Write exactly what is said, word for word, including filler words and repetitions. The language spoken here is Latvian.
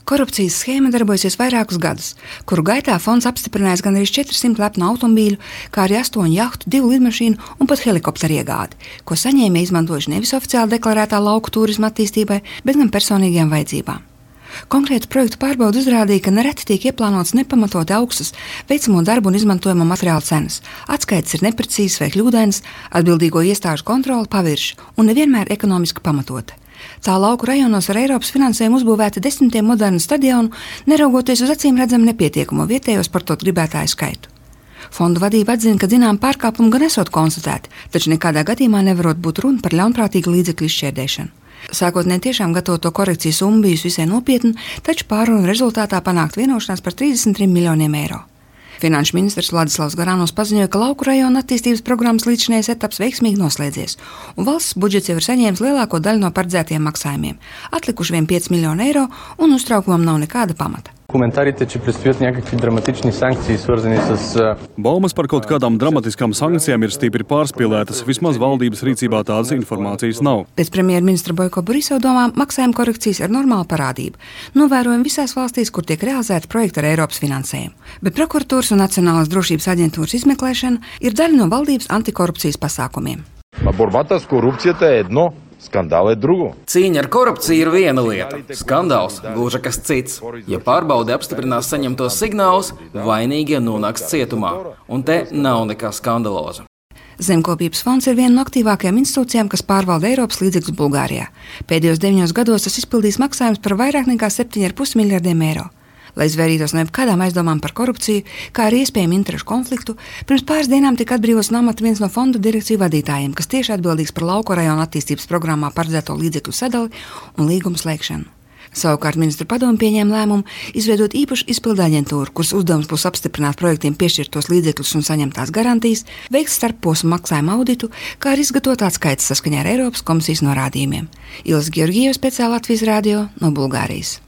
Korupcijas schēma darbojasies vairākus gadus, kuru gaitā fonds apstiprinājis gan arī četrsimt lepnu automobīļu, kā arī astoņu jahtu, divu lidmašīnu un pat helikopteru iegādi, ko saņēmēji izmantojuši nevis oficiāli deklarētā lauku turisma attīstībai, bet gan personīgajām vajadzībām. Konkrēta projektu pārbaude uzrādīja, ka nereti tiek ieplānots nepamatoti augstas veicamo darbu un izmantojamo materiālu cenas, atskaites ir neprecīzas vai kļūdainas, atbildīgo iestāžu kontrole pavirša un nevienmēr ekonomiski pamatota. Tā lauku rajonos ar Eiropas finansējumu uzbūvēta desmitiem modernu stadionu, neraugoties uz acīm redzamu nepietiekamo vietējo sportot gribētāju skaitu. Fondu vadība atzina, ka zinām pārkāpumu gan esot konstatēti, taču nekādā gadījumā nevarot būt runa par ļaunprātīgu līdzekļu izšķērdēšanu. Sākotnēji tiešām gatavoto korekciju summa bijusi visai nopietna, taču pārunu rezultātā panākt vienošanās par trīsdesmit trim miljoniem eiro. Finanšu ministrs Vladislavs Goranovs paziņoja, ka lauku rajona attīstības programmas līdzinējais etaps veiksmīgi noslēdzies, un valsts budžets jau ir saņēmis lielāko daļu no paredzētiem maksājumiem. Atlikuši vien pieci miljoni eiro, un uztraukumam nav nekāda pamata. Коментарите, че предстоят някакви драматични санкции, свързани с... Baumas par kaut kādām dramatiskām sankcijām ir stipri pārspīlētas, vismaz valdības rīcībā tādas informācijas nav. Pēc premjerministra Boiko Borisova domām maksājuma korekcijas ir normāla parādība. Novērojam visās valstīs, kur tiek realizēta projekta ar Eiropas finansējumu. Bet prokuratūras un Nacionālās drošības aģentūras izmeklēšana ir daļa no valdības antikorupcijas pasākumiem. Борбата с корупцията е едно. Skandāli ir drugo. Cīņa ar korupciju ir viena lieta, skandāls gluži kas cits. Ja pārbaude apstiprinās saņemtos signālus, vainīgie nonāks cietumā, un te nav nekā skandaloza. Zemkopības fonds ir viena no aktīvākajām institūcijām, kas pārvalda Eiropas līdzekļus Bulgārijā. Pēdējos deviņos gados tas izpildīs maksājumus par vairāk nekā septiņi ar pus miljardiem eiro. Lai izvairītos no jebkādām aizdomām par korupciju, kā arī iespējamu interešu konfliktu, pirms pāris dienām tika atbrīvots no amata viens no fonda direkciju vadītājiem, kas tieši atbildīgs par lauku rajonu attīstības programmā paredzēto līdzekļu sadali un līgumu slēgšanu. Savukārt ministru padomu pieņēma lēmumu izveidot īpašu izpildu aģentūru, kuras uzdevums būs apstiprināt projektiem piešķirtos līdzekļus un saņemtās garantijas, veikt starpposmu maksājumu auditu, kā arī izgatavot atskaites saskaņā ar Eiropas komisijas norādījumiem. Ilza Georgieva, speciāli Latvijas radio no Bulgārijas.